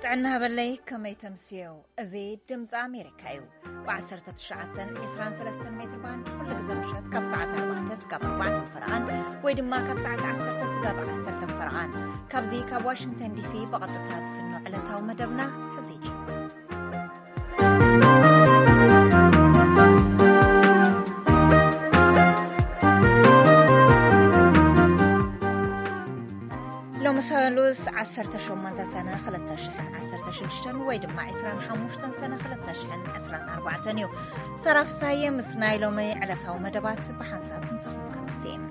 ጥዕና ሃበለይ፣ ከመይ ተምስየው? እዚ ድምፂ ኣሜሪካ እዩ። ብ19፣ 23 ሜትር ባንድ ኩሉ ግዜ ምሸት ካብ ሰዓት ኣርባዕተ ስጋብ ኣርባዕተ ፈረቓን፣ ወይ ድማ ካብ ሰዓት ዓሰርተ ስጋብ ዓሰርተ ፈረቓን። ካብዚ ካብ ዋሽንግተን ዲሲ ብቐጥታ ዝፍኖ ዕለታዊ መደብና ሕዚ ይጅምር። ሎሚ ሰሉስ ዓሰርተ ሸሞንተ ሰነ ክልተ ሽሕን ዓሰርተ ሽዱሽተን ወይ ድማ ዕስራን ሓሙሽተን ሰነ ክልተ ሽሕን ዕስራን ኣርባዕተን እዩ። ሰራ ፍሳየ ምስ ናይ ሎሚ ዕለታዊ መደባት ብሓንሳብ ምሳኹም ከምስም።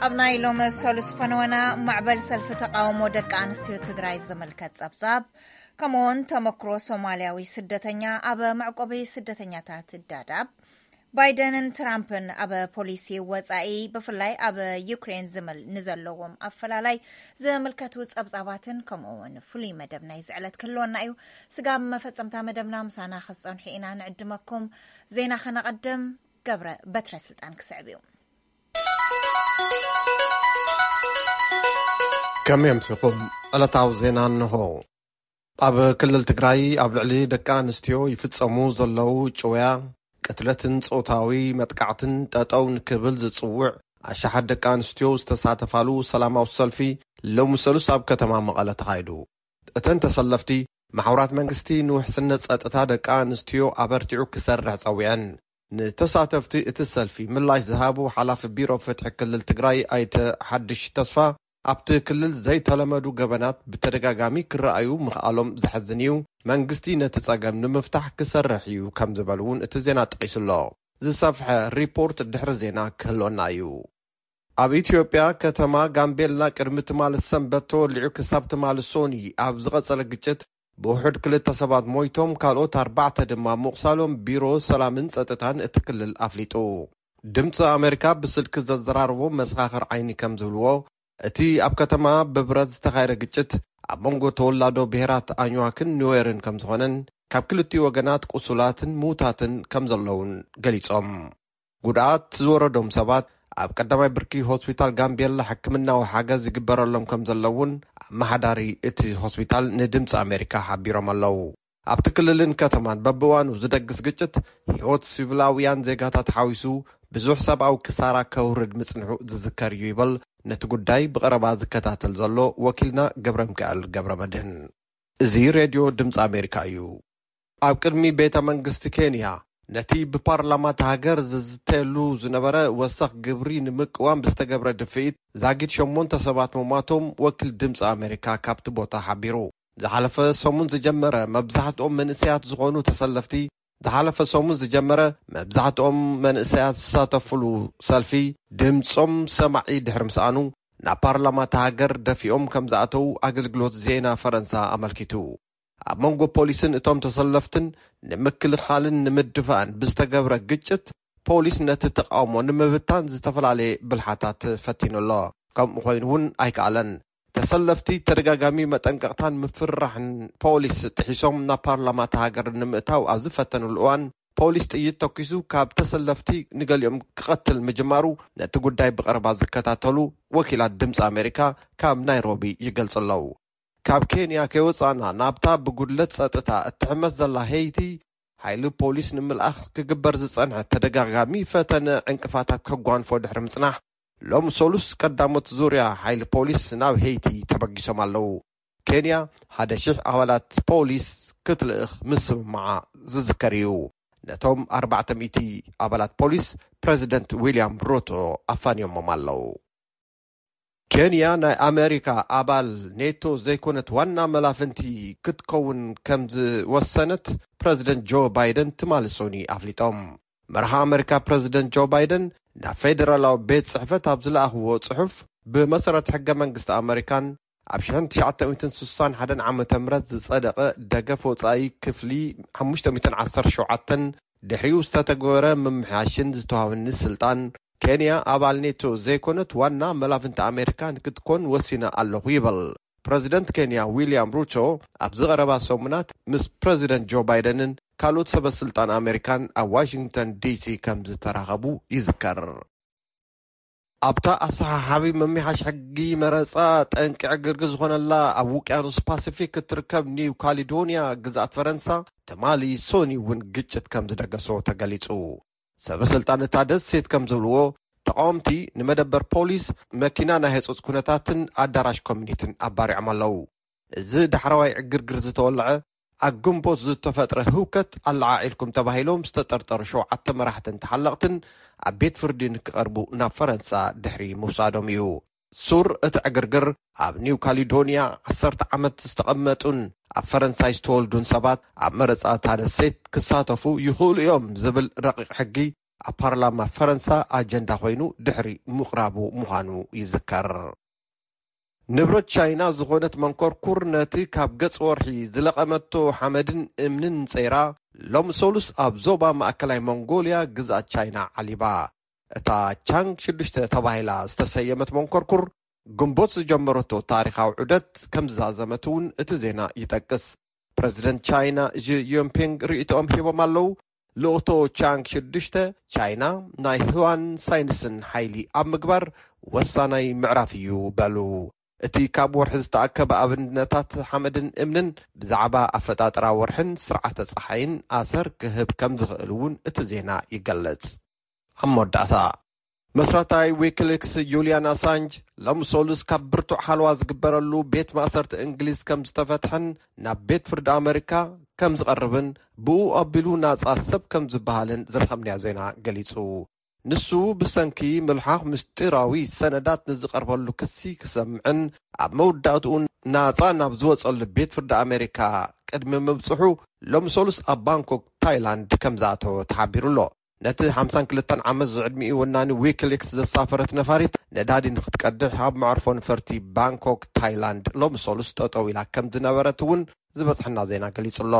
ኣብ ናይ ሎሚ ሰሉስ ፈነወና፣ ማዕበል ሰልፊ ተቃውሞ ደቂ ኣንስትዮ ትግራይ ዝምልከት ጸብጻብ፣ ከምኡውን ተመክሮ ሶማልያዊ ስደተኛ ኣብ መዕቆቢ ስደተኛታት ዳዳብ፣ ባይደንን ትራምፕን ኣብ ፖሊሲ ወጻኢ፣ ብፍላይ ኣብ ዩክሬን ዝምል-፣ ንዘለዎም ኣፈላላይ ዝምልከቱ ጸብጻባትን፣ ከምኡውን ፍሉይ መደብ ናይዚ ዕለት ክህልወና እዩ። ስጋብ መፈጸምታ መደብና ምሳና ክትጸንሑ ኢና ንዕድመኩም። ዜና ከነቐድም፣ ገብረ በትረ ስልጣን ክስዕብ እዩ። ከመይ ኣምሲኹም? ዕለታዊ ዜና እንሆ። ኣብ ክልል ትግራይ ኣብ ልዕሊ ደቂ ኣንስትዮ ይፍጸሙ ዘለዉ ጭውያ፣ ቅትለትን ጾታዊ መጥቃዕትን ጠጠው ንክብል ዝጽውዕ ኣሽሓት ደቂ ኣንስትዮ ዝተሳተፋሉ ሰላማዊ ሰልፊ ሎሚ ሰሉስ ኣብ ከተማ መቐለ ተኻይዱ። እተን ተሰለፍቲ፣ ማሕበራት መንግስቲ ንውሕስነት ጸጥታ ደቂ ኣንስትዮ ኣበርቲዑ ክሰርሕ ጸዊዐን። ንተሳተፍቲ እቲ ሰልፊ ምላሽ ዝሃቡ ሓላፊ ቢሮ ፍትሒ ክልል ትግራይ ኣይተ ሓድሽ ተስፋ፣ ኣብቲ ክልል ዘይተለመዱ ገበናት ብተደጋጋሚ ክረኣዩ ምኽኣሎም ዘሕዝን እዩ፣ መንግስቲ ነቲ ጸገም ንምፍታሕ ክሰርሕ እዩ ከም ዝበሉ እውን እቲ ዜና ጠቒሱ ኣሎ። ዝሰፍሐ ሪፖርት ድሕሪ ዜና ክህልወና እዩ። ኣብ ኢትዮጵያ ከተማ ጋምቤላ ቅድሚ ትማሊ ሰንበት ተወሊዑ ክሳብ ትማሊ ሶኒ ኣብ ዝቐጸለ ግጭት ብውሑድ ክልተ ሰባት ሞይቶም፣ ካልኦት ኣርባዕተ ድማ ምቑሳሎም ቢሮ ሰላምን ጸጥታን እቲ ክልል ኣፍሊጡ። ድምፂ ኣሜሪካ ብስልኪ ዘዘራረቦ መሰኻኽር ዓይኒ ከም ዝብልዎ፣ እቲ ኣብ ከተማ ብብረት ዝተኻየደ ግጭት ኣብ መንጎ ተወላዶ ብሔራት ኣኝዋክን ኑዌርን ከም ዝኾነን፣ ካብ ክልቲኡ ወገናት ቁሱላትን ምዉታትን ከም ዘለውን ገሊጾም። ጉድኣት ዝወረዶም ሰባት ኣብ ቀዳማይ ብርኪ ሆስፒታል ጋምቤላ ሕክምናዊ ሓገዝ ይግበረሎም ከም ዘለውን ኣመሓዳሪ እቲ ሆስፒታል ንድምፂ ኣሜሪካ ሓቢሮም ኣለዉ። ኣብቲ ክልልን ከተማን በብእዋኑ ዝደግስ ግጭት ህይወት ሲቪላውያን ዜጋታት ሓዊሱ ብዙሕ ሰብኣዊ ክሳራ ከውርድ ምጽንሑ ዝዝከር እዩ ይበል ነቲ ጉዳይ ብቐረባ ዝከታተል ዘሎ ወኪልና ገብረ ሚካኤል ገብረ መድህን። እዚ ሬድዮ ድምፂ ኣሜሪካ እዩ። ኣብ ቅድሚ ቤተ መንግስቲ ኬንያ ነቲ ብፓርላማ እታ ሃገር ዝዝተየሉ ዝነበረ ወሰኽ ግብሪ ንምቅዋም ብዝተገብረ ድፍኢት ዛጊድ ሸሞንተ ሰባት ምሟቶም ወኪል ድምፂ ኣሜሪካ ካብቲ ቦታ ሓቢሩ። ዝሓለፈ ሰሙን ዝጀመረ መብዛሕትኦም መንእሰያት ዝኾኑ ተሰለፍቲ፣ ዝሓለፈ ሰሙን ዝጀመረ መብዛሕትኦም መንእሰያት ዝሳተፉሉ ሰልፊ ድምፆም ሰማዒ ድሕሪ ምስኣኑ፣ ናብ ፓርላማ እታ ሃገር ደፊኦም ከም ዝኣተዉ ኣገልግሎት ዜና ፈረንሳ ኣመልኪቱ። ኣብ መንጎ ፖሊስን እቶም ተሰለፍትን ንምክልኻልን ንምድፋእን ብዝተገብረ ግጭት፣ ፖሊስ ነቲ ተቃውሞ ንምብታን ዝተፈላለየ ብልሓታት ፈቲኑ ኣሎ። ከምኡ ኮይኑ እውን ኣይከኣለን። ተሰለፍቲ ተደጋጋሚ መጠንቀቕታን ምፍርራሕን ፖሊስ ጥሒሶም ናብ ፓርላማ እታ ሃገር ንምእታው ኣብ ዝፈተኑሉ እዋን፣ ፖሊስ ጥይት ተኲሱ ካብ ተሰለፍቲ ንገሊኦም ክቐትል ምጅማሩ ነቲ ጉዳይ ብቐረባ ዝከታተሉ ወኪላት ድምፂ ኣሜሪካ ካብ ናይሮቢ ይገልጹ ኣለዉ። ካብ ኬንያ ከይወጻእና፣ ናብታ ብጉድለት ጸጥታ እትሕመስ ዘላ ሄይቲ፣ ሓይሊ ፖሊስ ንምልኣኽ ክግበር ዝጸንሐ ተደጋጋሚ ፈተነ ዕንቅፋታት ከጓንፎ ድሕሪ ምጽናሕ፣ ሎም ሰሉስ ቀዳሞት ዙርያ ሓይሊ ፖሊስ ናብ ሄይቲ ተበጊሶም ኣለዉ። ኬንያ ሓደ ሽሕ ኣባላት ፖሊስ ክትልእኽ ምስምማዓ ዝዝከር እዩ። ነቶም ኣርባዕተ ሚእቲ ኣባላት ፖሊስ ፕረዚደንት ዊልያም ሩቶ ኣፋንዮሞም ኣለዉ። ኬንያ ናይ ኣሜሪካ ኣባል ኔቶ ዘይኮነት ዋና መላፍንቲ ክትከውን ከም ዝወሰነት ፕረዚደንት ጆ ባይደን ትማሊ ሶኒ ኣፍሊጦም። መርሃ ኣሜሪካ ፕረዚደንት ጆ ባይደን ናብ ፌደራላዊ ቤት ጽሕፈት ኣብ ዝለኣኽዎ ጽሑፍ፣ ብመሰረት ሕገ መንግስቲ ኣሜሪካን ኣብ ሽሕን ትሽዓተ ሚእትን ስሳን ሓደን ዓመተ ምህረት ዝጸደቐ ደገፍ ወጻኢ ክፍሊ ሓሙሽተ ሚእትን ዓሰርተ ሸውዓተን ድሕሪኡ ዝተተግበረ ምምሕያሽን ዝተዋህበኒ ስልጣን፣ ኬንያ ኣባል ኔቶ ዘይኮነት ዋና መላፍንቲ ኣሜሪካ ንክትኮን ወሲነ ኣለኹ ይብል። ፕረዚደንት ኬንያ ዊልያም ሩቶ ኣብዚ ቀረባ ሰሙናት ምስ ፕረዚደንት ጆ ባይደንን ካልኦት ሰበ ስልጣን ኣሜሪካን ኣብ ዋሽንግተን ዲሲ ከም ዝተራኸቡ ይዝከር። ኣብታ ኣሰሓሓቢ ምምሕያሽ ሕጊ መረጻ ጠንቂ ዕግርግር ዝኾነላ ኣብ ውቅያኖስ ፓሲፊክ እትርከብ ኒው ካሊዶንያ ግዝኣት ፈረንሳ ትማሊ ሶኒ እውን ግጭት ከም ዝደገሶ ተገሊጹ። ሰበ ስልጣን እታ ደሴት ከም ዝብልዎ፣ ተቃወምቲ ንመደበር ፖሊስ፣ መኪና ናይ ህጹጽ ኩነታትን ኣዳራሽ ኮሚኒቲን ኣባሪዖም ኣለዉ። እዚ ዳሕረዋይ ዕግርግር ዝተወልዐ ኣብ ግንቦት ዝተፈጥረ ህውከት ኣለዓዒልኩም ተባሂሎም ዝተጠርጠሩ ሸውዓተ መራሕትን ተሓለቕትን ኣብ ቤት ፍርዲ ንክቐርቡ ናብ ፈረንሳ ድሕሪ ምውሳዶም እዩ። ሱር እቲ ዕግርግር ኣብ ኒው ካሊዶንያ ዓሰርተ ዓመት ዝተቐመጡን ኣብ ፈረንሳይ ዝተወልዱን ሰባት ኣብ መረጻ እታ ደሴት ክሳተፉ ይኽእሉ እዮም ዝብል ረቂቕ ሕጊ ኣብ ፓርላማ ፈረንሳ ኣጀንዳ ኮይኑ ድሕሪ ምቕራቡ ምዃኑ ይዝከር። ንብረት ቻይና ዝኾነት መንኮርኩር ነቲ ካብ ገጽ ወርሒ ዝለቐመቶ ሓመድን እምንን ጸይራ ሎም ሰሉስ ኣብ ዞባ ማእከላይ ሞንጎልያ ግዝኣት ቻይና ዓሊባ። እታ ቻንግ ሽዱሽተ ተባሂላ ዝተሰየመት መንኮርኩር ግንቦት ዝጀመረቶ ታሪኻዊ ዑደት ከም ዝዛዘመት እውን እቲ ዜና ይጠቅስ። ፕረዚደንት ቻይና ዢ ጂንፒንግ ርእይቶኦም ሂቦም ኣለዉ። ልእኽቶ ቻንግ ሽዱሽተ፣ ቻይና ናይ ህዋን ሳይንስን ሓይሊ ኣብ ምግባር ወሳናይ ምዕራፍ እዩ በሉ። እቲ ካብ ወርሒ ዝተኣከበ ኣብነታት ሓመድን እምንን ብዛዕባ ኣፈጣጥራ ወርሕን ስርዓተ ጸሓይን ኣሰር ክህብ ከም ዝኽእል እውን እቲ ዜና ይገልጽ። ኣብ መወዳእታ፣ መስራታይ ዊኪሊክስ ጁልያን ኣሳንጅ ሎም ሶሉስ ካብ ብርቱዕ ሓለዋ ዝግበረሉ ቤት ማእሰርቲ እንግሊዝ ከም ዝተፈትሐን ናብ ቤት ፍርዲ ኣመሪካ ከም ዝቐርብን ብኡ ኣቢሉ ናጻ ሰብ ከም ዝበሃልን ዝረኸብናዮ ዜና ገሊጹ። ንሱ ብሰንኪ ምልሓኽ ምስጢራዊ ሰነዳት ንዝቐርበሉ ክሲ ክሰምዕን ኣብ መወዳእትኡ ናጻ ናብ ዝወጸሉ ቤት ፍርዲ ኣመሪካ ቅድሚ ምብጽሑ ሎም ሶሉስ ኣብ ባንኮክ ታይላንድ ከም ዝኣተወ ተሓቢሩ ኣሎ። ነቲ ሓምሳን ክልተን ዓመት ዝዕድሚኡ ወናኒ ዊኪሊክስ ዘሳፈረት ነፋሪት ነዳዲ ንክትቀድሕ ኣብ መዕርፎ ነፈርቲ ባንኮክ ታይላንድ ሎም ሶሉስ ጠጠው ኢላ ከም ዝነበረት እውን ዝበጽሐና ዜና ገሊጹ ኣሎ።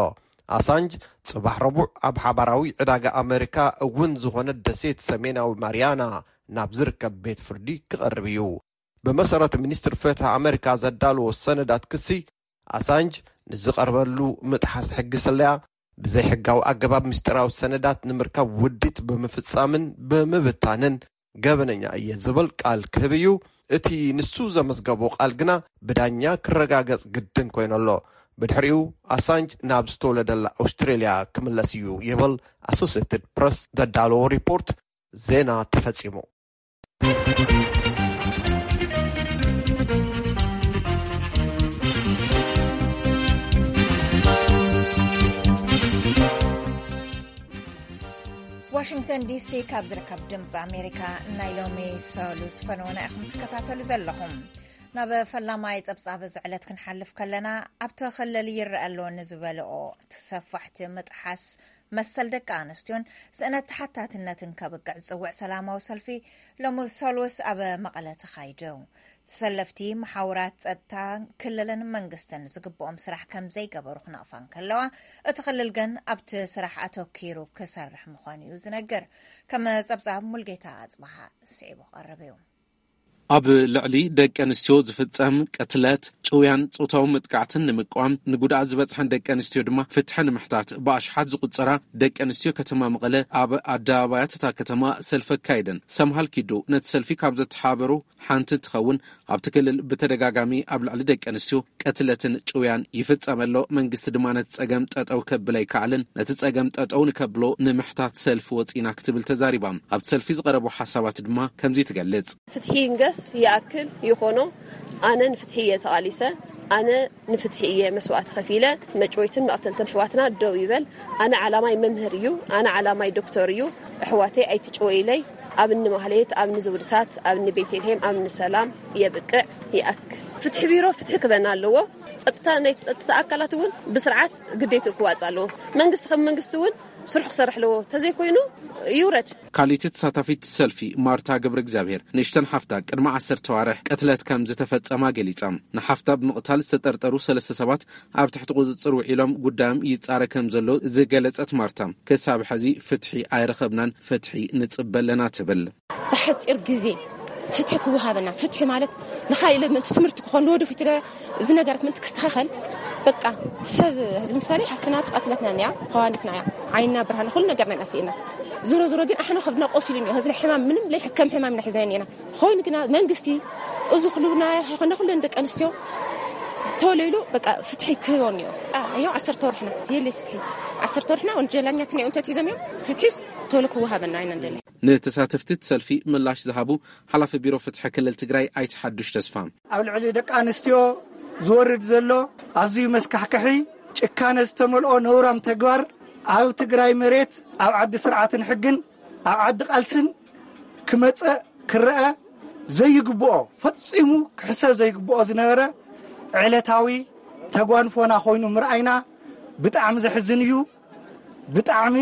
ኣሳንጅ ጽባሕ ረቡዕ ኣብ ሓባራዊ ዕዳጋ ኣመሪካ እውን ዝኾነት ደሴት ሰሜናዊ ማሪያና ናብ ዝርከብ ቤት ፍርዲ ክቐርብ እዩ። ብመሰረት ሚኒስትሪ ፍትሒ ኣመሪካ ዘዳለዎ ሰነዳት ክሲ፣ ኣሳንጅ ንዝቐርበሉ ምጥሓስ ሕጊ ስለያ፣ ብዘይሕጋዊ ኣገባብ ምስጢራዊ ሰነዳት ንምርካብ ውዲት ብምፍጻምን ብምብታንን ገበነኛ እየ ዝብል ቃል ክህብ እዩ። እቲ ንሱ ዘመዝገቦ ቃል ግና ብዳኛ ክረጋገጽ ግድን ኮይኑ ኣሎ። ብድሕሪኡ ኣሳንጅ ናብ ዝተወለደላ ኣውስትሬልያ ክምለስ እዩ ይብል ኣሶሴትድ ፕረስ ዘዳለዎ ሪፖርት ዜና ተፈጺሙ። ዋሽንግተን ዲሲ ካብ ዝርከብ ድምፂ ኣሜሪካ ናይ ሎሚ ሰሉስ ፈነወና ኢኹም ትከታተሉ ዘለኹም። ናብ ፈላማይ ፀብፃብ እዚ ዕለት ክንሓልፍ ከለና፣ ኣብቲ ክልል ይረአ ኣሎ ንዝበልኦ ተሰፋሕቲ ምጥሓስ መሰል ደቂ ኣንስትዮን ስእነት ተሓታትነትን ከብቅዕ ዝፅውዕ ሰላማዊ ሰልፊ ሎሚ ሰሉስ ኣብ መቐለ ተኻይዱ። ተሰለፍቲ መሓውራት ጸጥታ ክልልን መንግስትን ዝግብኦም ስራሕ ከም ዘይገበሩ ክነቕፋ እንከለዋ፣ እቲ ክልል ግን ኣብቲ ስራሕ ኣተኪሩ ክሰርሕ ምዃኑ እዩ ዝነግር። ከም ጸብጻብ ሙልጌታ ኣጽብሃ ስዒቡ ክቐርብ እዩ። ኣብ ልዕሊ ደቂ ኣንስትዮ ዝፍጸም ቅትለት፣ ጭውያን ጾታዊ መጥቃዕትን ንምቅዋም፣ ንጉድኣት ዝበጽሐን ደቂ ኣንስትዮ ድማ ፍትሒ ንምሕታት ብኣሽሓት ዝቑጸራ ደቂ ኣንስትዮ ከተማ መቐለ ኣብ ኣደባባያት እታ ከተማ ሰልፊ ኣካይደን። ሰምሃል ኪዱ ነቲ ሰልፊ ካብ ዘተሓባበሩ ሓንቲ እንትኸውን፣ ኣብቲ ክልል ብተደጋጋሚ ኣብ ልዕሊ ደቂ ኣንስትዮ ቅትለትን ጭውያን ይፍጸም ኣሎ። መንግስቲ ድማ ነቲ ጸገም ጠጠው ከብል ኣይከኣለን። ነቲ ጸገም ጠጠው ንከብሎ ንምሕታት ሰልፊ ወጺና ክትብል ተዛሪባ። ኣብቲ ሰልፊ ዝቐረቡ ሓሳባት ድማ ከምዚ ትገልጽ። ፍትሒ ይንገስ፣ ይኣክል ይኾኖ። ኣነ ንፍትሒ እየ ተቓሊሰ። ኣነ ንፍትሒ እየ መስዋእቲ ከፊለ። መጭወይትን መቕተልትን ኣሕዋትና ደው ይበል። ኣነ ዓላማይ መምህር እዩ። ኣነ ዓላማይ ዶክተር እዩ። ኣሕዋተይ ኣይትጭወይለይ። ኣብ እኒ ማህሌት፣ ኣብ እኒ ዘውድታት፣ ኣብ እኒ ቤተልሔም፣ ኣብ እኒ ሰላም የብቅዕ፣ ይኣክል። ፍትሒ ቢሮ ፍትሒ ክበና ኣለዎ። ጸጥታ፣ ናይ ጸጥታ ኣካላት እውን ብስርዓት ግዴትኡ ክዋጽእ ኣለዎ። መንግስቲ ከም መንግስቲ እውን ስርሑ ክሰርሕ ኣለዎ። ተዘይኮይኑ ይውረድ። ካልኣይቲ ተሳታፊት ሰልፊ ማርታ ገብረ እግዚኣብሔር ንእሽተን ሓፍታ ቅድሚ ዓሰርተ ኣዋርሕ ቅትለት ከም ዝተፈጸማ ገሊጻ። ንሓፍታ ብምቕታል ዝተጠርጠሩ ሰለስተ ሰባት ኣብ ትሕቲ ቁጽጽር ውዒሎም ጉዳዮም ይጻረ ከም ዘሎ ዝገለጸት ማርታ፣ ክሳብ ሕዚ ፍትሒ ኣይረኸብናን፣ ፍትሒ ንጽበ ኣለና ትብል። ብሓጺር ግዜ ፍትሒ ክወሃበና፣ ፍትሒ ማለት ንኻልእ ምእንቲ ትምህርቲ ክኾን ንወደፊት ለ-፣ እዚ ነገራት ምእንቲ ክስተኻኸል በቃ ሰብ፣ ሕዚ ምሳሌ ሓፍትና ተቐትለትና እያ፣ ኸዋኒትና እያ፣ ዓይና ብርሃና ኩሉ ነገርና ኢና ስኢና። ዞሮ ዞሮ ግን ኣሕና ከብድና ቆሲሉ እኒኦ። ሕዚ ሕማም ምንም ለይሕከም ሕማም ኢና ሒዝና እኒና። ኮይኑ ግና መንግስቲ እዚ ኩሉ ናይ ኾነ ኩለን ደቂ ኣንስትዮ ቶሎ ኢሉ በቃ ፍትሒ ክህቦ እኒኦ። ይኸው ዓሰርተ ወርሕና የለ ፍትሒ። ዓሰርተ ወርሕና ወንጀለኛትና እዮም ተትሒዞም እዮም። ፍትሒስ ቶሎ ክወሃበና ኢና እንደለ። ንተሳተፍቲ እቲ ሰልፊ ምላሽ ዝሃቡ ሓላፊ ቢሮ ፍትሒ ክልል ትግራይ ኣይተ ሓዱሽ ተስፋ፣ ኣብ ልዕሊ ደቂ ኣንስትዮ ዝወርድ ዘሎ ኣዝዩ መስካሕክሒ ጭካነ ዝተመልኦ ነውራም ተግባር ኣብ ትግራይ መሬት፣ ኣብ ዓዲ ስርዓትን ሕግን፣ ኣብ ዓዲ ቃልስን ክመጸእ ክረኣ ዘይግብኦ፣ ፈጺሙ ክሕሰብ ዘይግብኦ ዝነበረ ዕለታዊ ተጓንፎና ኮይኑ ምርኣይና ብጣዕሚ ዘሕዝን እዩ። ብጣዕሚ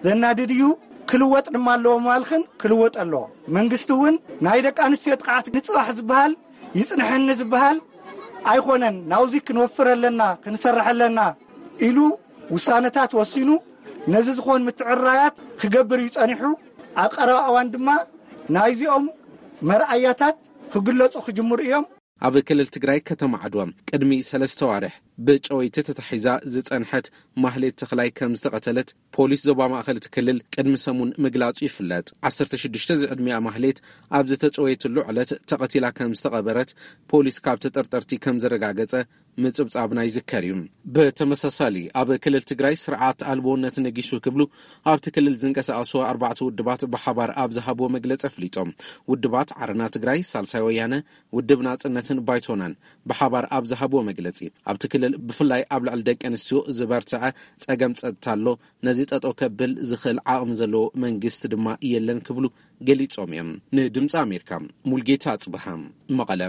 ዘናድድ እዩ። ክልወጥ ድማ ኣለዎ ማልኽን ክልወጥ ኣለዎ። መንግስቲ እውን ናይ ደቂ ኣንስትዮ ጥቕዓት ንፅባሕ ዝበሃል ይፅንሐኒ ዝበሃል ኣይኮነን። ናብዚ ክንወፍር ኣለና፣ ክንሰርሕ ኣለና ኢሉ ውሳነታት ወሲኑ ነዚ ዝኾን ምትዕራያት ክገብር እዩ ጸኒሑ። ኣብ ቀረባ እዋን ድማ ናይዚኦም መርኣያታት ክግለጹ ክጅምሩ እዮም። ኣብ ክልል ትግራይ ከተማ ዓድዋ ቅድሚ ሰለስተ ዋርሕ ብጨወይቲ ተታሒዛ ዝጸንሐት ማህሌት ተኽላይ ከም ዝተቐተለት ፖሊስ ዞባ ማእኸል እቲ ክልል ቅድሚ ሰሙን ምግላጹ ይፍለጥ። ዓሰርተ ሽዱሽተ ዝዕድሚኣ ማህሌት ኣብ ዝተጨወየትሉ ዕለት ተቐቲላ ከም ዝተቐበረት ፖሊስ ካብ ተጠርጠርቲ ከም ዘረጋገጸ ምጽብጻብና ይዝከር እዩ። ብተመሳሳሊ ኣብ ክልል ትግራይ ስርዓት ኣልቦነት ነጊሱ ክብሉ ኣብቲ ክልል ዝንቀሳቐሱ ኣርባዕተ ውድባት ብሓባር ኣብ ዝሃብዎ መግለጺ ኣፍሊጦም። ውድባት ዓረና ትግራይ፣ ሳልሳይ ወያነ፣ ውድብ ናጽነትን ባይቶናን ብሓባር ኣብ ዝሃብዎ መግለጺ፣ ኣብቲ ክልል ብፍላይ ኣብ ልዕሊ ደቂ ኣንስትዮ ዝበርትዐ ጸገም ጸጥታ ኣሎ። ነዚ ጠጠው ከብል ዝኽእል ዓቕሚ ዘለዎ መንግስቲ ድማ የለን ክብሉ ገሊጾም እዮም። ንድምፂ ኣሜሪካ ሙልጌታ ኣጽብሃ፣ መቐለ።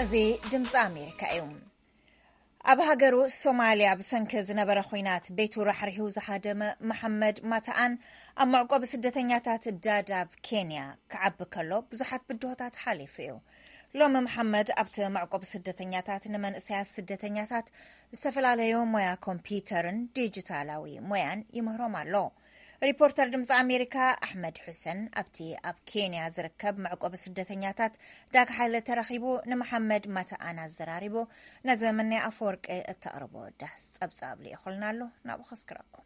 እዚ ድምፂ ኣሜሪካ እዩ። ኣብ ሃገሩ ሶማልያ ብሰንኪ ዝነበረ ኹናት ቤቱ ራሕሪሑ ዝሃደመ መሓመድ ማታኣን ኣብ መዕቆቢ ስደተኛታት ዳዳብ ኬንያ ክዓቢ ከሎ ብዙሓት ብድሆታት ሓሊፉ እዩ። ሎሚ መሓመድ ኣብቲ መዕቆቢ ስደተኛታት ንመንእሰያት ስደተኛታት ዝተፈላለዩ ሞያ ኮምፒውተርን ዲጂታላዊ ሞያን ይምህሮም ኣሎ። ሪፖርተር ድምፂ ኣሜሪካ ኣሕመድ ሑሰን ኣብቲ ኣብ ኬንያ ዝርከብ መዕቆቢ ስደተኛታት ዳግሓለ ተረኺቡ ንመሓመድ ማታኣን ኣዘራሪቡ። ነዘመናይ ኣፈወርቂ እተቕርቦ ዳህስ ጸብጻብ ልኢኹልና ኣሎ፣ ናብኡ ከስክረኩም።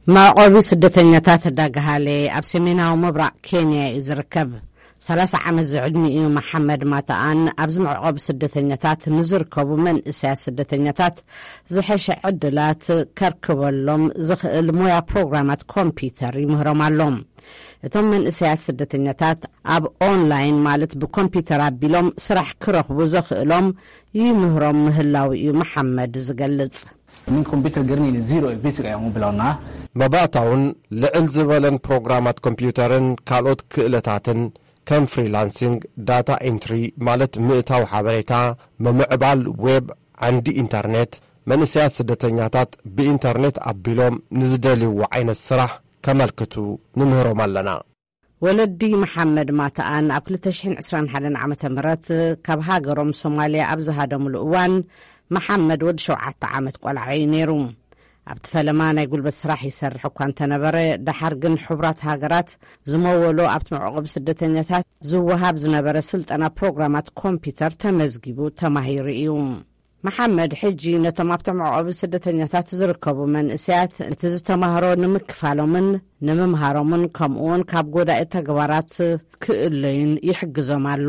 መዕቆቢ ስደተኛታት ዳግሃሌ ኣብ ሰሜናዊ ምብራቕ ኬንያ እዩ ዝርከብ። ሰላሳ ዓመት ዝዕድሚኡ መሓመድ ማታኣን ኣብዚ መዕቆቢ ስደተኛታት ንዝርከቡ መንእሰያት ስደተኛታት ዝሐሸ ዕድላት ከርክበሎም ዝኽእል ሞያ ፕሮግራማት ኮምፒውተር ይምህሮም ኣሎ። እቶም መንእሰያት ስደተኛታት ኣብ ኦንላይን ማለት ብኮምፒውተር ኣቢሎም ስራሕ ክረኽቡ ዘኽእሎም ይምህሮም ምህላው እዩ መሓመድ ዝገልጽ። Min computer garnayna zero basic ayaan u bilownaa. መባእታውን ልዕል ዝበለን ፕሮግራማት ኮምፒውተርን ካልኦት ክእለታትን ከም ፍሪላንሲንግ፣ ዳታ ኤንትሪ ማለት ምእታው ሓበሬታ፣ ምምዕባል ዌብ፣ ዓንዲ ኢንተርኔት፣ መንእሰያት ስደተኛታት ብኢንተርኔት ኣቢሎም ንዝደልይዎ ዓይነት ስራሕ ከመልክቱ ንምህሮም ኣለና። ወለዲ መሓመድ ማታኣን ኣብ ክልተ ሽሕን ዕስራን ሓደን ዓመተ ምህረት ካብ ሃገሮም ሶማልያ ኣብ ዝሃደምሉ እዋን፣ መሓመድ ወዲ ሸውዓተ ዓመት ቆልዓ እዩ ነይሩ። ኣብቲ ፈለማ ናይ ጉልበት ስራሕ ይሰርሕ እኳ እንተነበረ፣ ደሓር ግን ሕቡራት ሃገራት ዝመወሎ ኣብቲ መዕቆቢ ስደተኛታት ዝወሃብ ዝነበረ ስልጠና ፕሮግራማት ኮምፒውተር ተመዝጊቡ ተማሂሩ እዩ። መሓመድ ሕጂ ነቶም ኣብቲ መዕቆቢ ስደተኛታት ዝርከቡ መንእሰያት እቲ ዝተማህሮ ንምክፋሎምን ንምምሃሮምን ከምኡውን ካብ ጎዳኢ ተግባራት ክእለዩን ይሕግዞም ኣሎ።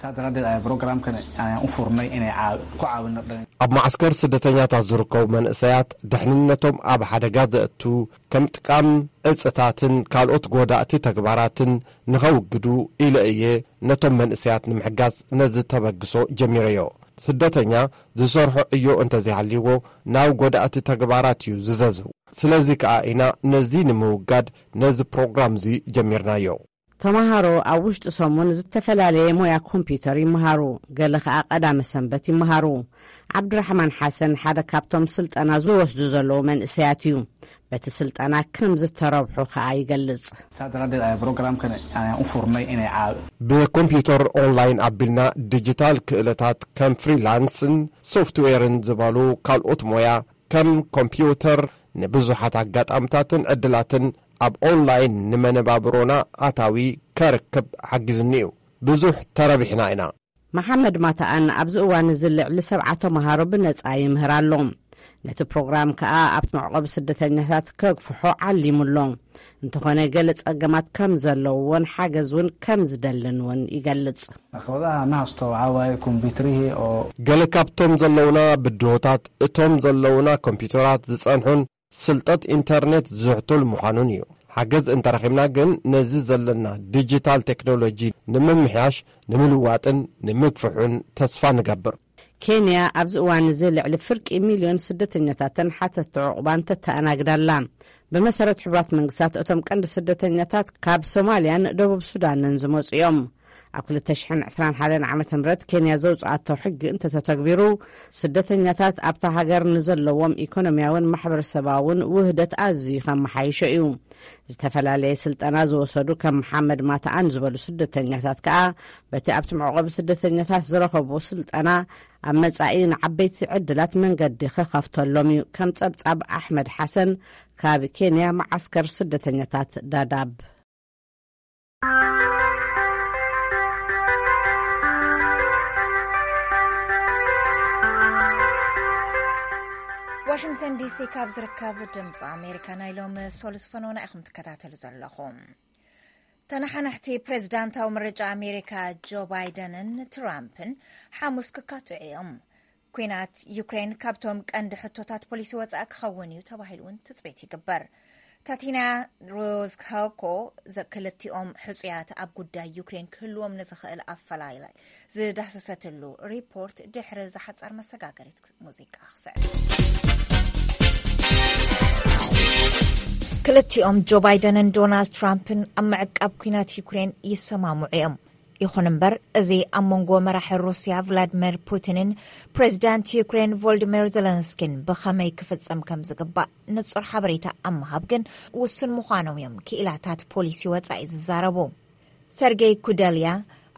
Saa daraaddeed ayaa programkan ayaan u furnay inay caaw-, ku caawino dhalin- ኣብ ማዕስከር ስደተኛታት ዝርከቡ መንእሰያት ድሕንነቶም ኣብ ሓደጋ ዘእቱ ከም ጥቃም ዕፅታትን ካልኦት ጎዳእቲ ተግባራትን ንኸውግዱ ኢለ እየ ነቶም መንእሰያት ንምሕጋዝ ነዚ ተበግሶ ጀሚረዮ። ስደተኛ ዝሰርሖ ዕዮ እንተዘይሃልይዎ ናብ ጎዳእቲ ተግባራት እዩ ዝዘዝው። ስለዚ ከኣ ኢና ነዚ ንምውጋድ ነዚ ፕሮግራም እዚ ጀሚርናዮ። ተማሃሮ ኣብ ውሽጢ ሰሙን ዝተፈላለየ ሞያ ኮምፒውተር ይመሃሩ፣ ገለ ከኣ ቀዳመ ሰንበት ይመሃሩ። ዓብዱራሕማን ሓሰን ሓደ ካብቶም ስልጠና ዝወስዱ ዘለዉ መንእሰያት እዩ። በቲ ስልጠና ከም ዝተረብሑ ከኣ ይገልጽ። Saa daraaddeed ayaa programkan ayaan u furnay inay caaw- ብኮምፒውተር ኦንላይን ኣቢልና ዲጂታል ክእለታት ከም ፍሪላንስን ሶፍትዌርን ዝበሉ ካልኦት ሞያ ከም ኮምፒውተር ንብዙሓት ኣጋጣምታትን ዕድላትን ኣብ ኦንላይን ንመነባብሮና ኣታዊ ከርክብ ሓጊዙኒ እዩ። ብዙሕ ተረቢሕና ኢና። መሓመድ ማታኣን ኣብዚ እዋን እዚ ልዕሊ ሰብዓ ተምሃሮ ብነጻ ይምህር ኣሎ። ነቲ ፕሮግራም ከኣ ኣብቲ መዕቆቢ ስደተኛታት ከግፍሖ ዓሊሙ ኣሎ። እንተኾነ ገለ ጸገማት ከም ዘለውዎን ሓገዝ እውን ከም ዝደልን እውን ይገልጽ። Akhwadaha nasto waxaa waaye computerihii oo ገለ ካብቶም ዘለውና ብድሆታት፣ እቶም ዘለውና ኮምፒውተራት ዝጸንሑን ስልጠት ኢንተርኔት ዝሕቱል ምዃኑን እዩ። ሓገዝ እንተረኺብና ግን ነዚ ዘለና ዲጂታል ቴክኖሎጂ ንምምሕያሽ፣ ንምልዋጥን ንምግፍሑን ተስፋ ንገብር። ኬንያ ኣብዚ እዋን እዚ ልዕሊ ፍርቂ ሚልዮን ስደተኛታትን ሓተትቲ ዕቑባን ተተኣናግድ ኣላ። ብመሰረት ሕቡራት መንግስታት እቶም ቀንዲ ስደተኛታት ካብ ሶማልያን ደቡብ ሱዳንን ዝመጹ እዮም። ኣብ ክልተ ሽሕን ዕስራን ሓደን ዓመተ ምህረት ኬንያ ዘውጽኣቶ ሕጊ እንተተተግቢሩ፣ ስደተኛታት ኣብታ ሃገር ንዘለዎም ኢኮኖሚያውን ማሕበረሰባውን ውህደት ኣዝዩ ከመሓይሾ እዩ። ዝተፈላለየ ስልጠና ዝወሰዱ ከም መሓመድ ማታኣን ዝበሉ ስደተኛታት ከኣ በቲ ኣብቲ መዕቆቢ ስደተኛታት ዝረኸብዎ ስልጠና ኣብ መጻኢ ንዓበይቲ ዕድላት መንገዲ ክኸፍተሎም እዩ። ከም ጸብጻብ ኣሕመድ ሓሰን ካብ ኬንያ መዓስከር ስደተኛታት ዳዳብ። ዋሽንግተን ዲሲ ካብ ዝርከብ ድምፂ ኣሜሪካ ናይ ሎሚ ሶሉስ ፈነውና ኢኹም ትከታተሉ ዘለኹም። ተነሓናሕቲ ፕሬዚዳንታዊ ምርጫ ኣሜሪካ ጆ ባይደንን ትራምፕን ሓሙስ ክካትዑ እዮም። ኩናት ዩክሬን ካብቶም ቀንዲ ሕቶታት ፖሊሲ ወፃኢ ክኸውን እዩ ተባሂሉ እውን ትፅቢት ይግበር። ታቲና ሮዝካኮ ክልቲኦም ሕፁያት ኣብ ጉዳይ ዩክሬን ክህልዎም ንዝኽእል ኣፈላላይ ዝዳህሰሰትሉ ሪፖርት ድሕሪ ዝሓፀር መሰጋገሪት ሙዚቃ ክስዕብ። ክልቲኦም ጆ ባይደንን ዶናልድ ትራምፕን ኣብ ምዕቃብ ኩናት ዩክሬን ይሰማምዑ እዮም። ይኹን እምበር፣ እዚ ኣብ መንጎ መራሒ ሩስያ ቭላድሚር ፑቲንን ፕሬዚዳንት ዩክሬን ቮልዲሚር ዘለንስኪን ብኸመይ ክፍጸም ከም ዝግባእ ንጹር ሓበሬታ ኣብ ምሃብ ግን ውሱን ምዃኖም እዮም ክኢላታት ፖሊሲ ወጻኢ ዝዛረቡ። ሰርጌይ ኩደልያ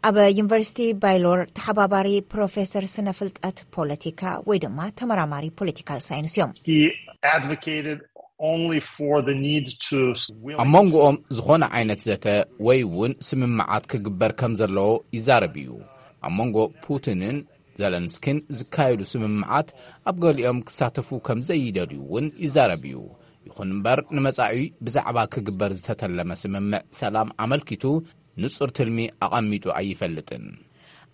ኣብ ዩኒቨርሲቲ ባይሎር ተሓባባሪ ፕሮፌሰር ስነ ፍልጠት ፖለቲካ ወይ ድማ ተመራማሪ ፖለቲካል ሳይንስ እዮም። ኣብ መንጎኦም ዝኾነ ዓይነት ዘተ ወይ እውን ስምምዓት ክግበር ከም ዘለዎ ይዛረብ እዩ። ኣብ መንጎ ፑቲንን ዘለንስኪን ዝካየዱ ስምምዓት ኣብ ገሊኦም ክሳተፉ ከም ዘይደልዩ እውን ይዛረብ እዩ። ይኹን እምበር ንመጻኢ ብዛዕባ ክግበር ዝተተለመ ስምምዕ ሰላም ኣመልኪቱ ንጹር ትልሚ ኣቐሚጡ ኣይፈልጥን።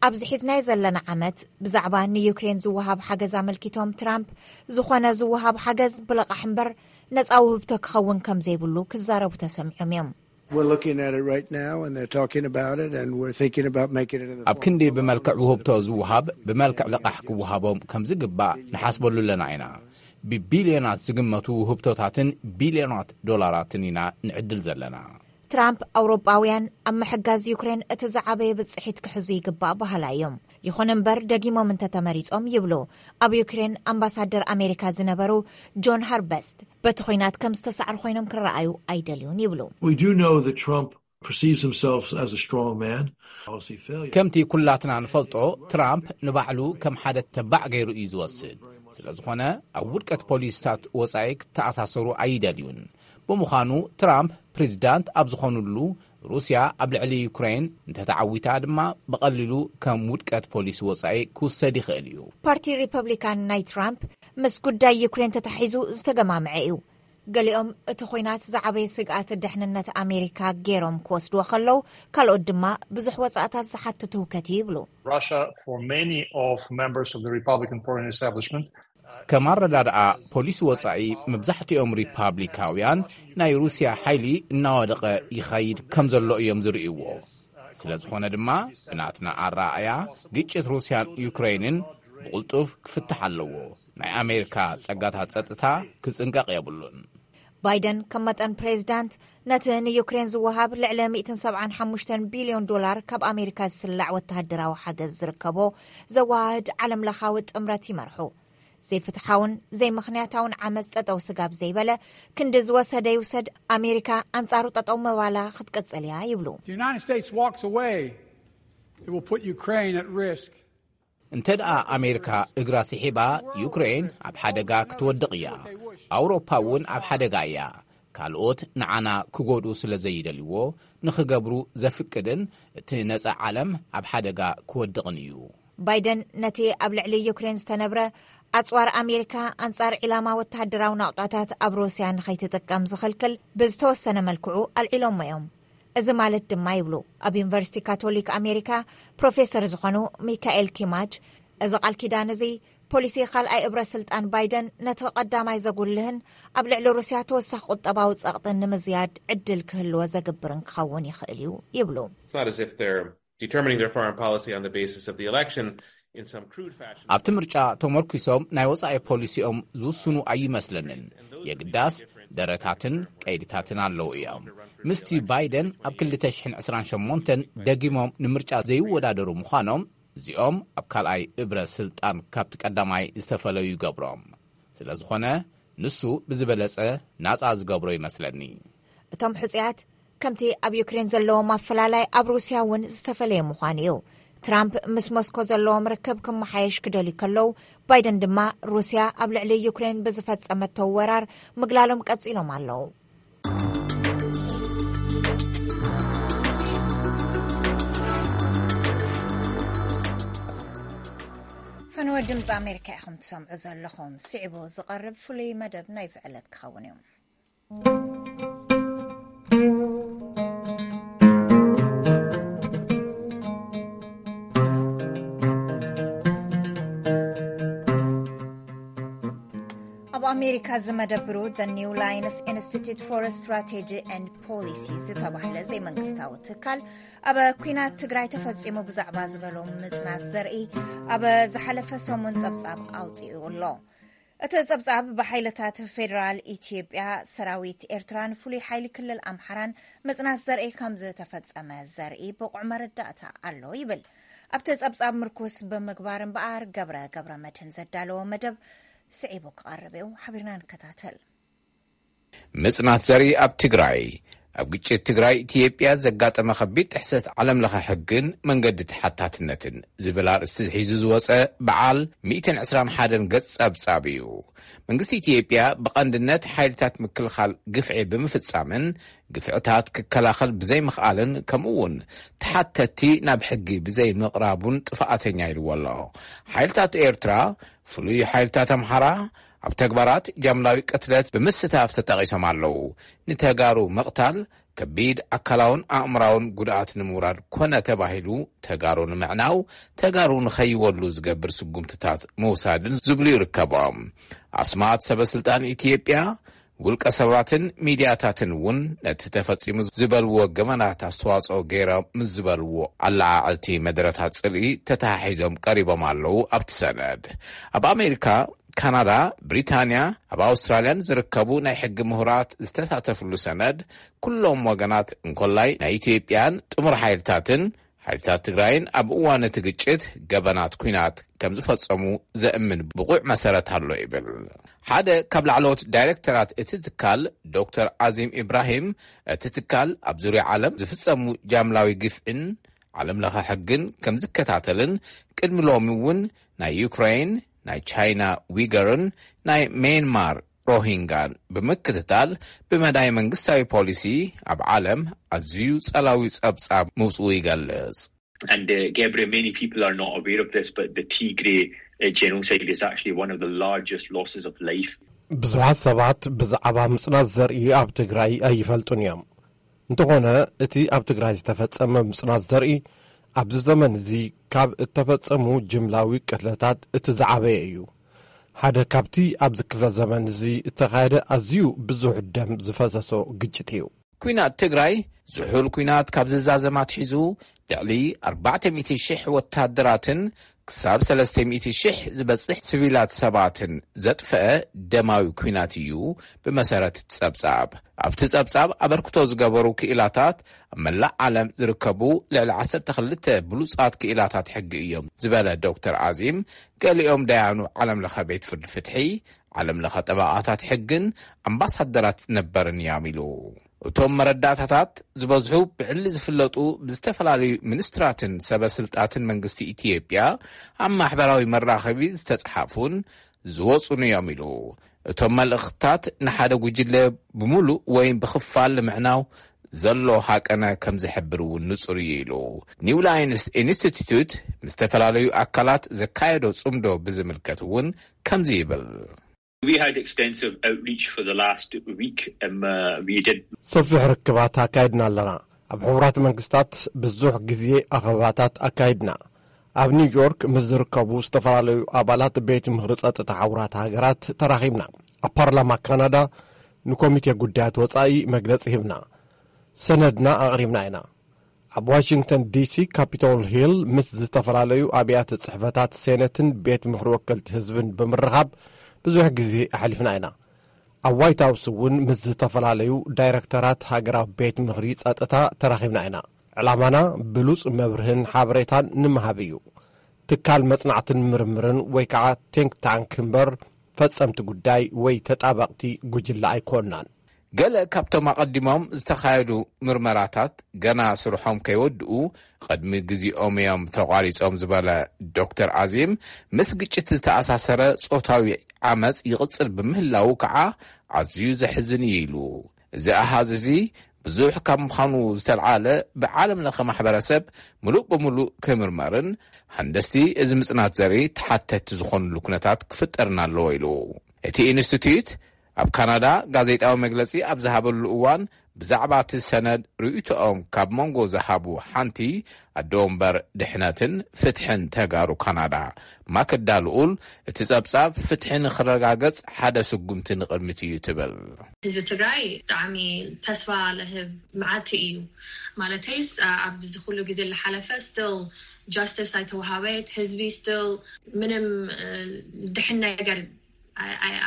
ኣብዚ ሒዝናዮ ዘለና ዓመት ብዛዕባ ንዩክሬን ዝወሃብ ሓገዝ ኣመልኪቶም ትራምፕ፣ ዝኾነ ዝወሃብ ሓገዝ ብለቓሕ እምበር ነጻ ውህብቶ ክኸውን ከም ዘይብሉ ክዛረቡ ተሰሚዖም እዮም። We're looking at it right now, and they're talking about it, and we're thinking about making it in the ኣብ ክንዲ ብመልክዕ ውህብቶ ዝወሃብ ብመልክዕ ልቓሕ ክወሃቦም ከም ዝግባእ ንሓስበሉ ኣለና ኢና። ብቢልዮናት ዝግመቱ ውህብቶታትን ቢልዮናት ዶላራትን ኢና ንዕድል ዘለና። ትራምፕ ኣውሮጳውያን ኣብ ምሕጋዝ ዩክሬን እቲ ዝዓበየ ብጽሒት ክሕዙ ይግባእ በሃላይ እዮም። ይኹን እምበር፣ ደጊሞም እንተተመሪጾም ይብሉ ኣብ ዩክሬን ኣምባሳደር ኣሜሪካ ዝነበሩ ጆን ሃርበስት፣ በቲ ኹናት ከም ዝተሳዕሩ ኮይኖም ክረኣዩ ኣይደልዩን ይብሉ። We do know that Trump perceives himself as a strong man. Policy failure. ከምቲ ኩላትና ንፈልጦ፣ ትራምፕ ንባዕሉ ከም ሓደ ተባዕ ገይሩ እዩ ዝወስድ። ስለ ዝኾነ፣ ኣብ ውድቀት ፖሊሲታት ወጻኢ ክተኣሳሰሩ ኣይደልዩን። ብምዃኑ፣ ትራምፕ ፕሬዚዳንት ኣብ ዝኾኑሉ፣ ሩስያ ኣብ ልዕሊ ዩክሬን እንተተዓዊታ ድማ ብቐሊሉ ከም ውድቀት ፖሊሲ ወጻኢ ክውሰድ ይኽእል እዩ። ፓርቲ ሪፐብሊካን ናይ ትራምፕ ምስ ጉዳይ ዩክሬን ተታሒዙ ዝተገማምዐ እዩ። ገሊኦም እቲ ኹናት ዝዓበየ ስግኣት ድሕንነት ኣሜሪካ ገይሮም ክወስድዎ ከለዉ፣ ካልኦት ድማ ብዙሕ ወጻእታት ዝሓትት ህውከት እዩ ይብሉ። Russia, for many of members of the Republican foreign establishment, ከም ኣረዳድኣ ፖሊሲ ወጻኢ፣ መብዛሕትኦም ሪፓብሊካውያን ናይ ሩስያ ሓይሊ እናወደቐ ይኸይድ ከም ዘሎ እዮም ዝርእይዎ። ስለ ዝኾነ ድማ፣ ብናትና ኣረኣእያ፣ ግጭት ሩስያን ዩክሬንን ብቕልጡፍ ክፍታሕ ኣለዎ። ናይ ኣሜሪካ ጸጋታት ጸጥታ ክጽንቀቕ የብሉን። ባይደን ከም መጠን ፕሬዚዳንት፣ ነቲ ንዩክሬን ዝወሃብ ልዕሊ ሚእትን ሰብዓን ሓሙሽተን ቢልዮን ዶላር ካብ ኣሜሪካ ዝስላዕ ወተሃደራዊ ሓገዝ ዝርከቦ ዘወሃህድ ዓለምለኻዊ ጥምረት ይመርሑ። ዘይፍትሓውን ዘይምኽንያታውን ዓመፅ ጠጠው ስጋብ ዘይበለ፣ ክንዲ ዝወሰደ ይውሰድ፣ ኣሜሪካ ኣንጻሩ ጠጠው ምባላ ክትቅጽል እያ ይብሉ። The United States walks away, it will put Ukraine at risk. እንተ ደኣ ኣሜሪካ እግራ ስሒባ፣ ዩክሬን ኣብ ሓደጋ ክትወድቕ እያ። ኣውሮፓ እውን ኣብ ሓደጋ እያ። ካልኦት ንዓና ክጎድኡ ስለ ዘይደልይዎ፣ ንኽገብሩ ዘፍቅድን እቲ ነጻ ዓለም ኣብ ሓደጋ ክወድቕን እዩ። ባይደን ነቲ ኣብ ልዕሊ ዩክሬን ዝተነብረ ኣጽዋር ኣሜሪካ ኣንጻር ዒላማ ወተሃደራዊ ናቑጣታት ኣብ ሩስያ ንኸይትጥቀም ዝኽልክል ብዝተወሰነ መልክዑ ኣልዒሎሞ እዮም። እዚ ማለት ድማ ይብሉ ኣብ ዩኒቨርሲቲ ካቶሊክ ኣሜሪካ ፕሮፌሰር ዝኾኑ ሚካኤል ኪማች፣ እዚ ቃል ኪዳን እዚ ፖሊሲ ካልኣይ እብረ ስልጣን ባይደን ነቲ ቀዳማይ ዘጉልህን ኣብ ልዕሊ ሩስያ ተወሳኺ ቁጠባዊ ጸቕጥን ንምዝያድ ዕድል ክህልዎ ዘግብርን ክኸውን ይኽእል እዩ ይብሉ። It's not as if they're determining their foreign policy on the basis of the election in some crude fashion. ኣብቲ ምርጫ ተመርኪሶም ናይ ወጻኢ ፖሊሲኦም ዝውስኑ ኣይመስለንን። የግዳስ ደረታትን ቀይድታትን ኣለዉ እዮም። ምስቲ ባይደን ኣብ ክልተ ሽሕን ዕስራን ሸሞንተን ደጊሞም ንምርጫ ዘይወዳደሩ ምዃኖም፣ እዚኦም ኣብ ካልኣይ እብረ ስልጣን ካብቲ ቀዳማይ ዝተፈለዩ ይገብሮም። ስለ ዝኾነ ንሱ ብዝበለጸ ናጻ ዝገብሮ ይመስለኒ። እቶም ሕጹያት ከምቲ ኣብ ዩክሬን ዘለዎም ኣፈላላይ ኣብ ሩስያ እውን ዝተፈለየ ምዃኑ እዩ። ትራምፕ ምስ ሞስኮ ዘለዎም ርክብ ክመሓየሽ ክደልዩ ከለዉ፣ ባይደን ድማ ሩስያ ኣብ ልዕሊ ዩክሬን ብዝፈጸመቶ ወራር ምግላሎም ቀጺሎም ኣለዉ። ፈነወ ድምፂ ኣሜሪካ ኢኹም ትሰምዑ ዘለኹም። ስዒቡ ዝቐርብ ፍሉይ መደብ ናይዚ ዕለት ክኸውን እዩ። ኣብ ኣሜሪካ ዝመደብሩ The New Lines Institute for Strategy and Policy ዝተባህለ ዘይመንግስታዊ ትካል፣ ኣብ ኲናት ትግራይ ተፈጺሙ ብዛዕባ ዝበሎ ምጽናት ዘርኢ ኣብ ዝሓለፈ ሰሙን ጸብጻብ ኣውጺኡ ኣሎ። እቲ ጸብጻብ፣ ብሓይልታት ፌደራል ኢትዮጵያ፣ ሰራዊት ኤርትራን ፍሉይ ሓይሊ ክልል ኣምሓራን ምጽናት ዘርኢ ከም ዝተፈጸመ ዘርኢ ብቑዕ መረዳእታ ኣሎ ይብል። ኣብቲ ጸብጻብ ምርኩስ ብምግባር እምበኣር፣ ገብረ ገብረ መድህን ዘዳለዎ መደብ ስዒቡ ክቐርብ እዩ። ሓቢርና ንከታተል። ምጽናት ዘርኢ ኣብ ትግራይ፣ ኣብ ግጭት ትግራይ ኢትዮጵያ ዘጋጠመ ከቢድ ጥሕሰት ዓለም ለኸ ሕግን መንገዲ ተሓታትነትን ዝብል ኣርእስቲ ሒዙ ዝወጸ በዓል ሚእትን ዕስራን ሓደን ገጽ ጸብጻብ እዩ። መንግስቲ ኢትዮጵያ ብቐንድነት ሓይልታት ምክልኻል ግፍዒ ብምፍጻምን ግፍዕታት ክከላኸል ብዘይምኽኣልን፣ ከምኡ እውን ተሓተቲ ናብ ሕጊ ብዘይምቕራቡን ጥፍኣተኛ ኢልዎ ኣሎ። ሓይልታት ኤርትራ፣ ፍሉይ ሓይልታት ኣምሓራ፣ ኣብ ተግባራት ጃምላዊ ቅትለት ብምስታፍ ተጠቒሶም ኣለዉ። ንተጋሩ ምቕታል፣ ከቢድ ኣካላውን ኣእምራውን ጉድኣት ንምውራድ ኮነ ተባሂሉ ተጋሩ ንምዕናው፣ ተጋሩ ንኸይወሉ ዝገብር ስጉምትታት ምውሳድን ዝብሉ ይርከቦም። ኣስማት ሰበ ስልጣን ኢትዮጵያ፣ ውልቀ ሰባትን ሚድያታትን እውን ነቲ ተፈጺሙ ዝበልዎ ገበናት ኣስተዋጽኦ ገይሮም ምስ ዝበልዎ ኣለዓዕልቲ መድረታት ጽልኢ ተተሓሒዞም ቀሪቦም ኣለዉ። ኣብቲ ሰነድ፣ ኣብ ኣሜሪካ፣ ካናዳ፣ ብሪታንያ፣ ኣብ ኣውስትራልያን ዝርከቡ ናይ ሕጊ ምሁራት ዝተሳተፍሉ ሰነድ፣ ኩሎም ወገናት እንኮላይ ናይ ኢትዮጵያን ጥሙር ሓይልታትን፣ ሓይልታት ትግራይን ኣብ እዋን እቲ ግጭት ገበናት ኲናት ከም ዝፈጸሙ ዘእምን ብቑዕ መሰረት ኣሎ ይብል። ሓደ ካብ ላዕለዎት ዳይሬክተራት እቲ ትካል ዶክተር ዓዚም ኢብራሂም፣ እቲ ትካል ኣብ ዙርያ ዓለም ዝፍጸሙ ጃምላዊ ግፍዕን ዓለም ለኸ ሕግን ከም ዝከታተልን፣ ቅድሚ ሎሚ እውን ናይ ዩክሬን፣ ናይ ቻይና ዊገርን ናይ ሜንማር ሮሂንጋን ብምክትታል፣ ብመዳይ መንግስታዊ ፖሊሲ ኣብ ዓለም ኣዝዩ ጸላዊ ጸብጻብ ምውጽኡ ይገልጽ። And uh, Gabriel, many people are not aware of this, but the Tigray uh, genocide is actually one of the largest losses of life. ብዙሓት ሰባት ብዛዕባ ምጽናት ዘርኢ ኣብ ትግራይ ኣይፈልጡን እዮም። እንተኾነ፣ እቲ ኣብ ትግራይ ዝተፈጸመ ምጽናት ዘርኢ ኣብዚ ዘመን እዚ ካብ እተፈጸሙ ጅምላዊ ቅትለታት እቲ ዝዓበየ እዩ። ሓደ ካብቲ ኣብዚ ክፍለ ዘመን እዚ እተኻየደ ኣዝዩ ብዙሕ ደም ዝፈሰሶ ግጭት እዩ። ኲናት ትግራይ፣ ዝሑል ኲናት ካብ ዝዛዘም ኣትሒዙ፣ ልዕሊ ኣርባዕተ ሚእቲ ሽሕ ወታደራትን ክሳብ ሰለስተ ሚእቲ ሽሕ ዝበጽሕ ሲቪላት ሰባትን ዘጥፈአ ደማዊ ኲናት እዩ። ብመሰረት እቲ ጸብጻብ፣ ኣብቲ ጸብጻብ ኣበርክቶ ዝገበሩ ክኢላታት፣ ኣብ መላእ ዓለም ዝርከቡ ልዕሊ ዓሰርተ ክልተ ብሉጻት ክኢላታት ሕጊ እዮም ዝበለ ዶክተር ዓዚም፣ ገሊኦም ደያኑ ዓለም ለኸ ቤት ፍርዲ ፍትሒ፣ ዓለም ለኸ ጠበቓታት ሕግን ኣምባሳደራት ነበርን እዮም ኢሉ። እቶም መረዳእታታት ዝበዝሑ ብዕሊ ዝፍለጡ ብዝተፈላለዩ ሚኒስትራትን ሰበ ስልጣትን መንግስቲ ኢትዮጵያ ኣብ ማሕበራዊ መራኸቢ ዝተጽሓፉን ዝወጹን እዮም ኢሉ። እቶም መልእኽትታት ንሓደ ጉጅለ ብምሉእ ወይ ብኽፋል ንምዕናው ዘሎ ሃቀነ ከም ዝሕብር እውን ንጹር እዩ ኢሉ። ኒው ላይንስ ኢንስቲትዩት ምስ ዝተፈላለዩ ኣካላት ዘካየዶ ጽምዶ ብዝምልከት እውን ከምዚ ይብል። We had extensive outreach for the last week. Um, uh, we did. ሰፊሕ ርክባት ኣካይድና ኣለና። ኣብ ሕቡራት መንግስታት ብዙሕ ግዜ ኣኸባታት ኣካይድና። ኣብ ኒውዮርክ ምስ ዝርከቡ ዝተፈላለዩ ኣባላት ቤት ምኽሪ ጸጥታ ሕቡራት ሃገራት ተራኺብና። ኣብ ፓርላማ ካናዳ ንኮሚቴ ጉዳያት ወጻኢ መግለጺ ሂብና። ሰነድና ኣቕሪብና ኢና። ኣብ ዋሽንግተን ዲሲ ካፒቶል ሂል ምስ ዝተፈላለዩ ኣብያተ ጽሕፈታት ሴነትን ቤት ምኽሪ ወከልቲ ህዝብን ብምርኻብ ብዙሕ ግዜ ኣሕሊፍና ኢና። ኣብ ዋይት ሃውስ እውን ምስ ዝተፈላለዩ ዳይረክተራት ሃገራዊ ቤት ምኽሪ ጸጥታ ተራኺብና ኢና። ዕላማና ብሉጽ መብርህን ሓበሬታን ንምሃብ እዩ። ትካል መጽናዕትን ምርምርን ወይ ከዓ ቲንክ ታንክ እምበር ፈጸምቲ ጉዳይ ወይ ተጣበቕቲ ጉጅለ ኣይኮንናን። ገለ ካብቶም ኣቐዲሞም ዝተኻየዱ ምርመራታት ገና ስርሖም ከይወድኡ ቅድሚ ግዜኦም እዮም ተቋሪጾም ዝበለ ዶክተር ኣዚም፣ ምስ ግጭት ዝተኣሳሰረ ጾታዊ ዓመጽ ይቕጽል ብምህላዉ ከዓ ኣዝዩ ዘሕዝን እዩ ኢሉ። እዚ ኣሃዝ እዚ ብዙሕ ካብ ምዃኑ ዝተልዓለ ብዓለም ለኸ ማሕበረሰብ ምሉእ ብምሉእ ክምርመርን ሃንደስቲ እዚ ምጽናት ዘርኢ ተሓተቲ ዝኾኑሉ ኩነታት ክፍጠርን ኣለዎ ኢሉ። እቲ ኢንስቲትዩት ኣብ ካናዳ ጋዜጣዊ መግለጺ ኣብ ዝሃበሉ እዋን ብዛዕባ እቲ ሰነድ ርእይቶኦም ካብ መንጎ ዝሃቡ ሓንቲ ኣደ ወንበር ድሕነትን ፍትሕን ተጋሩ ካናዳ ማክዳ ልኡል እቲ ጸብጻብ ፍትሒ ንክረጋገጽ ሓደ ስጉምቲ ንቕድሚት እዩ ትብል። ህዝቢ ትግራይ ብጣዕሚ ተስፋ ለህብ መዓልቲ እዩ። ማለተይስ ኣብዚ ኩሉ ግዜ ዝሓለፈ still justice ኣይተዋሃበ፣ ህዝቢ still ምንም ድሕን ነገር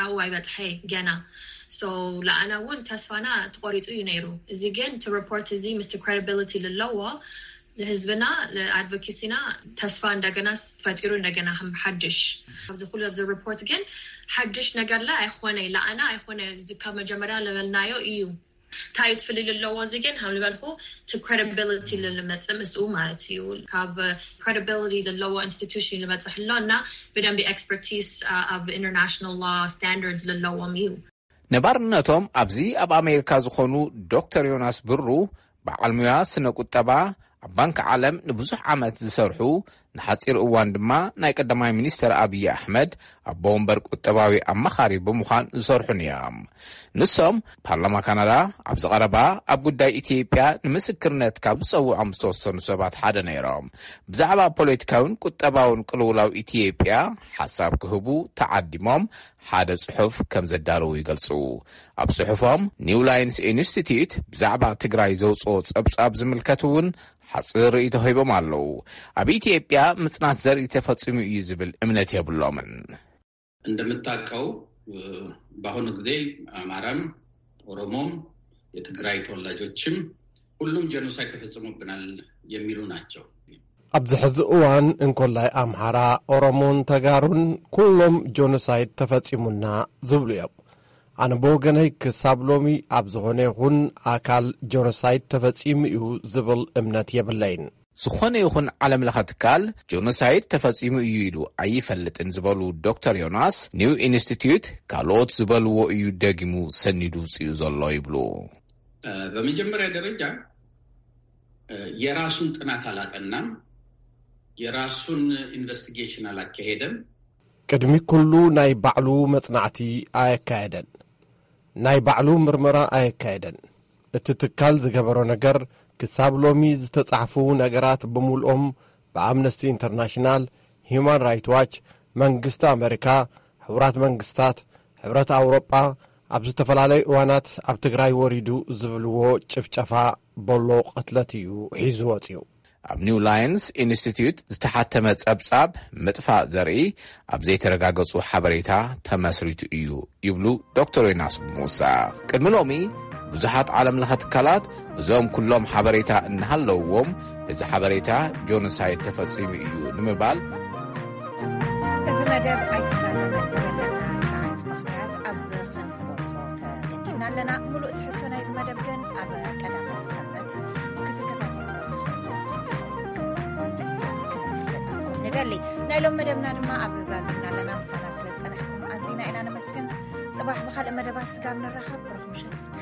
ኣብኡ ኣይበፅሐ ገና። So ለኣና እውን ተስፋና ተቆሪፁ እዩ ነይሩ። እዚ ግን እቲ report እዚ ምስቲ credibility ልለዎ ንህዝብና ንኣድቮኬሲና ተስፋ እንደገና ፈጢሩ እንደገና ከም ሓድሽ ኣብዚ ኩሉ ኣብዚ report ግን ሓድሽ ነገር ላ ኣይኮነ ለኣና ኣይኮነ እዚ ካብ መጀመርያ ለበልናዮ እዩ። እንታይ እዩ ትፍልይ ልለዎ እዚ ግን ከም ዝበልኩ እቲ credibility ልመፅእ ምስኡ ማለት እዩ። ካብ credibility ልለዎ institution ልመፅእ ኣሎ እና ብደንቢ expertise ኣብ international law standards ልለዎም እዩ። ነባርነቶም ኣብዚ ኣብ ኣሜሪካ ዝኾኑ ዶክተር ዮናስ ብሩ በዓል ሙያ ስነ ቁጠባ ኣብ ባንክ ዓለም ንብዙሕ ዓመት ዝሰርሑ ንሓፂር እዋን ድማ ናይ ቀዳማይ ሚኒስተር ኣብዪ ኣሕመድ ኣቦ ወንበር ቁጠባዊ ኣማኻሪ ብምዃን ዝሰርሑን እዮም። ንሶም ፓርላማ ካናዳ ኣብዚ ቀረባ ኣብ ጉዳይ ኢትዮጵያ ንምስክርነት ካብ ዝፀውዖም ዝተወሰኑ ሰባት ሓደ ነይሮም። ብዛዕባ ፖለቲካዊን ቁጠባውን ቅልውላው ኢትዮጵያ ሓሳብ ክህቡ ተዓዲሞም ሓደ ጽሑፍ ከም ዘዳለዉ ይገልጹ። ኣብ ጽሑፎም ኒው ላይንስ ኢንስቲትዩት ብዛዕባ ትግራይ ዘውፅኦ ጸብጻብ ዝምልከት እውን ሓፂር ርእይቶ ሂቦም ኣለዉ። ኣብ ኢትዮጵያ ምጽናት ዘርኢ ተፈጺሙ እዩ ዝብል እምነት የብሎምን። እንደምታውቀው በአሁኑ ጊዜ አማራም ኦሮሞም የትግራይ ተወላጆችም ሁሉም ጀኖሳይድ ተፈጽሞብናል የሚሉ ናቸው። ኣብዚ ሕዚ እዋን እንኮላይ ኣምሓራ፣ ኦሮሞን ተጋሩን ኩሎም ጆኖሳይድ ተፈጺሙና ዝብሉ እዮም። ኣነ ብወገነይ ክሳብ ሎሚ ኣብ ዝኾነ ይኹን ኣካል ጆኖሳይድ ተፈጺሙ እዩ ዝብል እምነት የብለይን። ዝኾነ ይኹን ዓለም ለኸ ትካል ጆኖሳይድ ተፈጺሙ እዩ ኢሉ ኣይፈልጥን ዝበሉ ዶክተር ዮናስ፣ ኒው ኢንስቲትዩት ካልኦት ዝበልዎ እዩ ደጊሙ ሰኒዱ ውፅኡ ዘሎ ይብሉ። በመጀመሪያ ደረጃ የራሱን ጥናት አላጠናም፣ የራሱን ኢንቨስቲጌሽን አላካሄደም። ቅድሚ ኩሉ ናይ ባዕሉ መጽናዕቲ ኣየካየደን፣ ናይ ባዕሉ ምርመራ ኣየካየደን። እቲ ትካል ዝገበሮ ነገር ክሳብ ሎሚ ዝተጻሕፉ ነገራት ብምልኦም ብኣምነስቲ ኢንተርናሽናል፣ ሂዩማን ራይት ዋች፣ መንግስቲ ኣመሪካ፣ ሕቡራት መንግስታት፣ ሕብረት ኣውሮጳ ኣብ ዝተፈላለዩ እዋናት ኣብ ትግራይ ወሪዱ ዝብልዎ ጭፍጨፋ ቦሎ ቅትለት እዩ ሒዙ ወፅዩ። ኣብ ኒው ላይንስ ኢንስቲትዩት ዝተሓተመ ጸብጻብ ምጥፋእ ዘርኢ ኣብ ዘይተረጋገጹ ሓበሬታ ተመስሪቱ እዩ ይብሉ ዶክተር ዮናስ ብምውሳኽ። ቅድሚ ሎሚ ብዙሓት ዓለም ለኸ ትካላት እዞም ኩሎም ሓበሬታ እናሃለውዎም እዚ ሓበሬታ ጆኖሳይድ ተፈጺሙ እዩ ንምባል እዚ መደብ ኣይተዛዘመን ብዘለና ሰዓት ምኽንያት ኣብዚ ክንቆርጾ ተገዲድና ኣለና። ሙሉእ ትሕዝቶ ናይ መደብ ግን ኣብ ቀዳማይ ሰንበት ክትከታተልዎ ትኽእሉ። ክንፍለጠልኩም ንደሊ። ናይ ሎም መደብና ድማ ኣብዚ ዛዚምና ኣለና። ምሳና ስለ ዝጸናሕኩም ኣዚና ኢና ነመስግን። ጽባሕ ብኻልእ መደባት ስጋብ ንራኸብ፣ ብሩኽ ምሸት።